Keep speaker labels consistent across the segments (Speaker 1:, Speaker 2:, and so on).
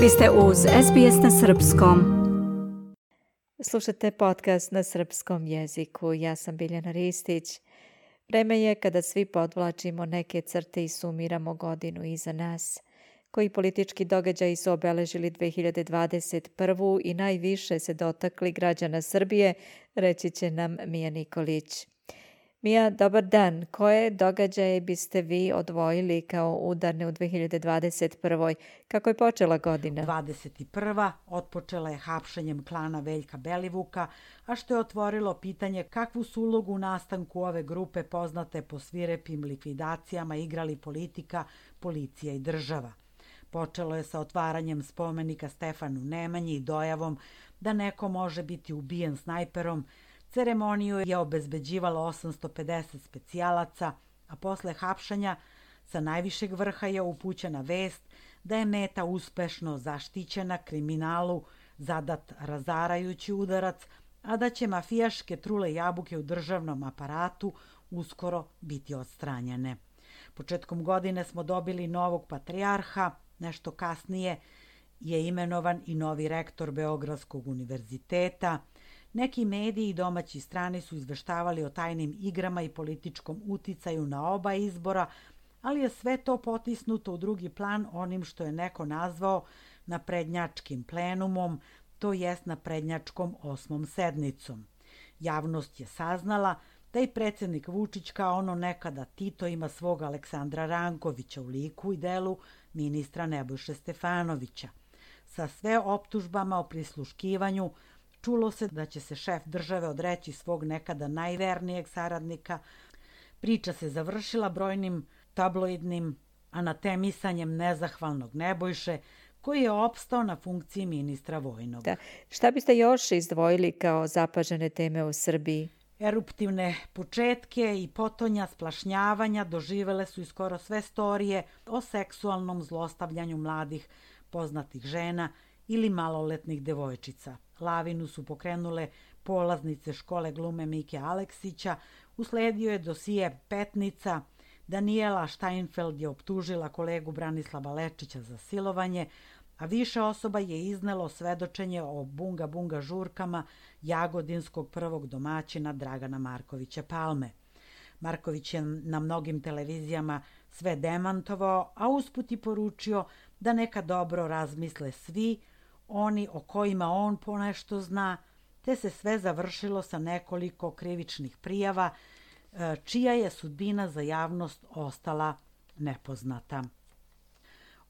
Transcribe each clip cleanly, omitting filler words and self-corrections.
Speaker 1: Vi ste uz SBS na srpskom. Slušate podcast na srpskom jeziku. Ja sam Biljana Ristić. Vreme je kada svi podvlačimo neke crte i sumiramo godinu iza nas. Koji politički događaji su obeležili 2021. i najviše se dotakli građana Srbije, reći će nam Mija Nikolić. Mija, dobar dan. Koje događaje biste vi odvojili kao udarne u 2021. Kako je počela godina?
Speaker 2: 21. otpočela je hapšenjem klana Veljka Belivuka, a što je otvorilo pitanje kakvu su ulogu u nastanku ove grupe poznate po svirepim likvidacijama igrali politika, policija i država. Počelo je sa otvaranjem spomenika Stefanu Nemanji i dojavom da neko može biti ubijen snajperom. Ceremoniju je obezbeđivalo 850 specijalaca, a posle hapšanja sa najvišeg vrha je upućena vest da je meta uspešno zaštićena, kriminalu zadat razarajući udarac, a da će mafijaške trule jabuke u državnom aparatu uskoro biti odstranjene. Početkom godine smo dobili novog patrijarha, nešto kasnije je imenovan i novi rektor Beogradskog univerziteta. Neki mediji i domaći strani su izveštavali o tajnim igrama i političkom uticaju na oba izbora, ali je sve to potisnuto u drugi plan onim što je neko nazvao naprednjačkim plenumom, to jest naprednjačkom 8. sednicom. Javnost je saznala da i predsjednik Vučić kao ono nekada Tito ima svog Aleksandra Rankovića u liku i delu ministra Nebojše Stefanovića. Sa sve optužbama o prisluškivanju čulo se da će se šef države odreći svog nekada najvernijeg saradnika. Priča se završila brojnim tabloidnim anatemisanjem nezahvalnog Nebojše, koji je opstao na funkciji ministra vojnog.
Speaker 1: Šta biste još izdvojili kao zapažene teme u Srbiji?
Speaker 2: Eruptivne početke i potonja splašnjavanja doživele su i skoro sve storije o seksualnom zlostavljanju mladih poznatih žena ili maloletnih devojčica. Lavinu su pokrenule polaznice škole glume Mike Aleksića, usledio je dosije Petnica, Danijela Steinfeld je optužila kolegu Branislava Lečića za silovanje, a više osoba je iznelo svedočenje o bunga žurkama jagodinskog prvog domaćina Dragana Markovića Palme. Marković je na mnogim televizijama sve demantovao, a usput i poručio da neka dobro razmisle svi oni o kojima on ponešto zna, te se sve završilo sa nekoliko krivičnih prijava, čija je sudbina za javnost ostala nepoznata.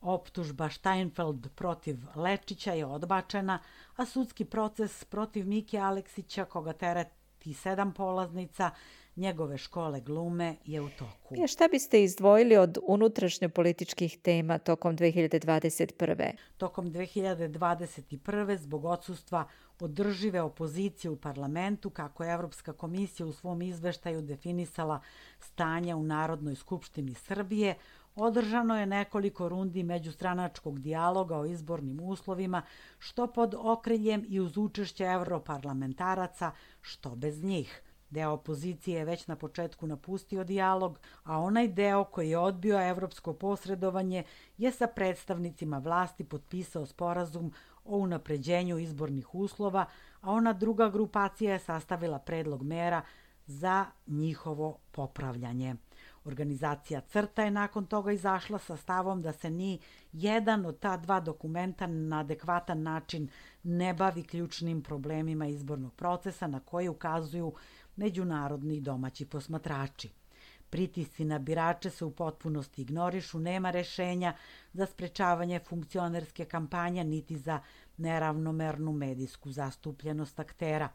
Speaker 2: Optužba Steinfeld protiv Lečića je odbačena, a sudski proces protiv Mike Aleksića, koga tereti 7 polaznica njegove škole glume, je u toku.
Speaker 1: Šta biste izdvojili od unutrašnjopolitičkih tema tokom 2021.
Speaker 2: Tokom 2021. zbog odsustva održive opozicije u parlamentu, kako je Evropska komisija u svom izveštaju definisala stanje u Narodnoj skupštini Srbije, održano je nekoliko rundi međustranačkog dijaloga o izbornim uslovima, što pod okriljem i uz učešće evroparlamentaraca, što bez njih. Deo opozicije je već na početku napustio dijalog, a onaj deo koji je odbio evropsko posredovanje je sa predstavnicima vlasti potpisao sporazum o unapređenju izbornih uslova, a ona druga grupacija je sastavila predlog mera za njihovo popravljanje. Organizacija CRTA je nakon toga izašla sa stavom da se ni jedan od ta dva dokumenta na adekvatan način ne bavi ključnim problemima izbornog procesa na koje ukazuju međunarodni i domaći posmatrači. Pritisci na birače se u potpunosti ignorišu, nema rešenja za sprečavanje funkcionerske kampanje niti za neravnomernu medijsku zastupljenost aktera.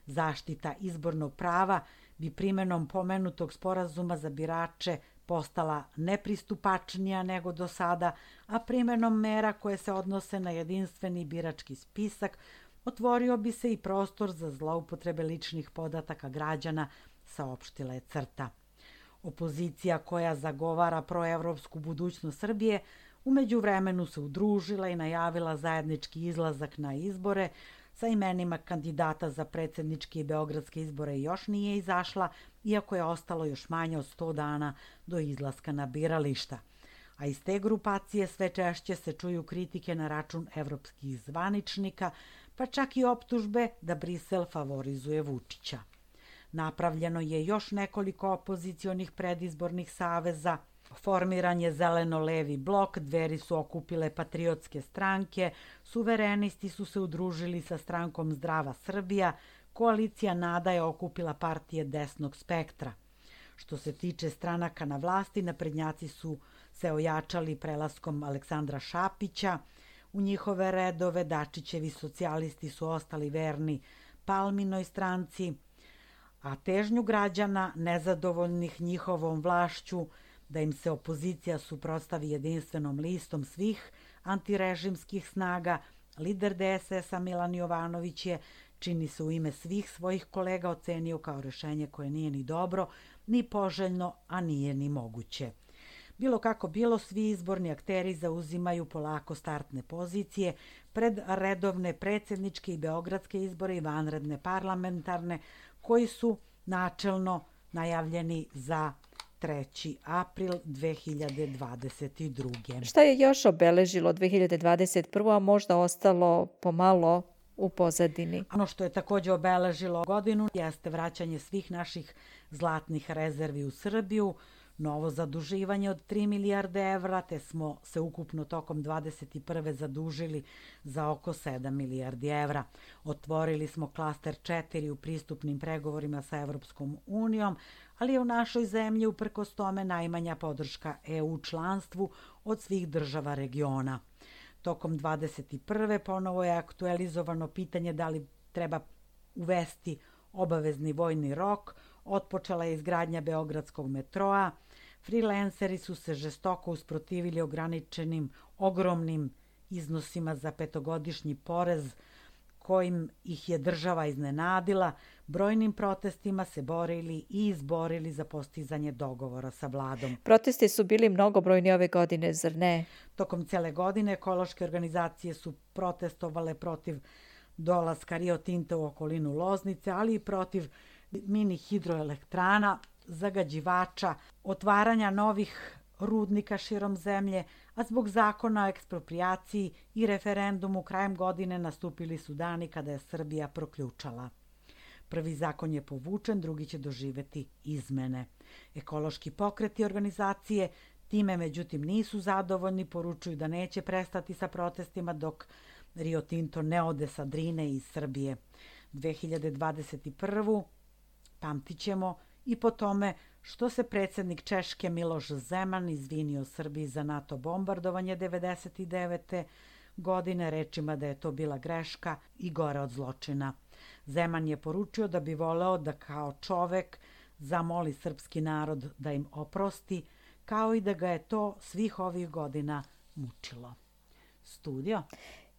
Speaker 2: Zaštita izbornog prava bi primenom pomenutog sporazuma za birače postala nepristupačnija nego do sada, a primenom mera koje se odnose na jedinstveni birački spisak otvorio bi se i prostor za zloupotrebe ličnih podataka građana, saopštila je CRTA. Opozicija koja zagovara proevropsku budućnost Srbije u međuvremenu se udružila i najavila zajednički izlazak na izbore. Sa imenima kandidata za predsjedničke i beogradske izbore još nije izašla, iako je ostalo još manje od 100 dana do izlaska na birališta. a iz te grupacije sve češće se čuju kritike na račun evropskih zvaničnika, pa čak i optužbe da Brisel favorizuje Vučića. Napravljeno je još nekoliko opozicionih predizbornih saveza, formiran je zeleno-levi blok, Dveri su okupile patriotske stranke, suverenisti su se udružili sa strankom Zdrava Srbija, koalicija Nada je okupila partije desnog spektra. Što se tiče stranaka na vlasti, naprednjaci su se ojačali prelaskom Aleksandra Šapića u njihove redove, Dačićevi socijalisti su ostali verni Palminoj stranci, a težnju građana, nezadovoljnih njihovom vlašću, da im se opozicija suprotstavi jedinstvenom listom svih antirežimskih snaga, lider DSS-a Milan Jovanović je, čini se u ime svih svojih kolega, ocenio kao rešenje koje nije ni dobro, ni poželjno, a nije ni moguće. Bilo kako bilo, svi izborni akteri zauzimaju polako startne pozicije pred redovne predsjedničke i beogradske izbore i vanredne parlamentarne, koji su načelno najavljeni za 3. april 2022.
Speaker 1: Šta je još obeležilo 2021. a možda ostalo pomalo u pozadini?
Speaker 2: Ono što je također obeležilo godinu jeste vraćanje svih naših zlatnih rezervi u Srbiju, novo zaduživanje od 3 milijarde evra, te smo se ukupno tokom 2021. zadužili za oko 7 milijardi evra. Otvorili smo klaster 4 u pristupnim pregovorima sa Evropskom unijom, ali je u našoj zemlji uprkos tome najmanja podrška EU članstvu od svih država regiona. Tokom 2021. ponovo je aktualizovano pitanje da li treba uvesti obavezni vojni rok, otpočela je izgradnja Beogradskog metroa, freelanceri su se žestoko usprotivili ograničenim ogromnim iznosima za petogodišnji porez kojim ih je država iznenadila, brojnim protestima se borili i izborili za postizanje dogovora sa vladom.
Speaker 1: Protesti su bili mnogobrojni ove godine, zar ne?
Speaker 2: Tokom cele godine ekološke organizacije su protestovale protiv dolaska Rio Tinta u okolinu Loznice, ali i protiv mini hidroelektrana, zagađivača, otvaranja novih rudnika širom zemlje, a zbog zakona o eksproprijaciji i referendumu krajem godine nastupili su dani kada je Srbija proključala. Prvi zakon je povučen, drugi će doživeti izmene. Ekološki pokreti i organizacije time međutim nisu zadovoljni, poručuju da neće prestati sa protestima dok Rio Tinto ne ode sa Drine iz Srbije. 2021. pamtit ćemo i po tome što se predsjednik Češke Miloš Zeman izvinio Srbiji za NATO bombardovanje 1999. godine rečima da je to bila greška i gore od zločina. Zeman je poručio da bi voleo da kao čovek zamoli srpski narod da im oprosti, kao i da ga je to svih ovih godina mučilo. Studio.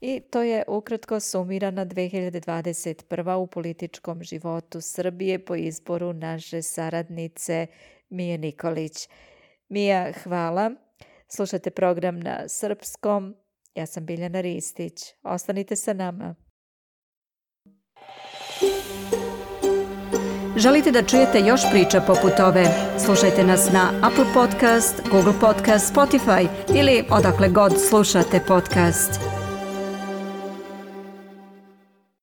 Speaker 1: I to je ukratko sumirana 2021. u političkom životu Srbije po izboru naše saradnice Mije Nikolić. Mija, hvala. Slušate program na srpskom. Ja sam Biljana Ristić. Ostanite sa nama.
Speaker 3: Želite da čujete još priča poput ove? Slušajte nas na Apple Podcast, Google Podcast, Spotify ili odakle god slušate podcast.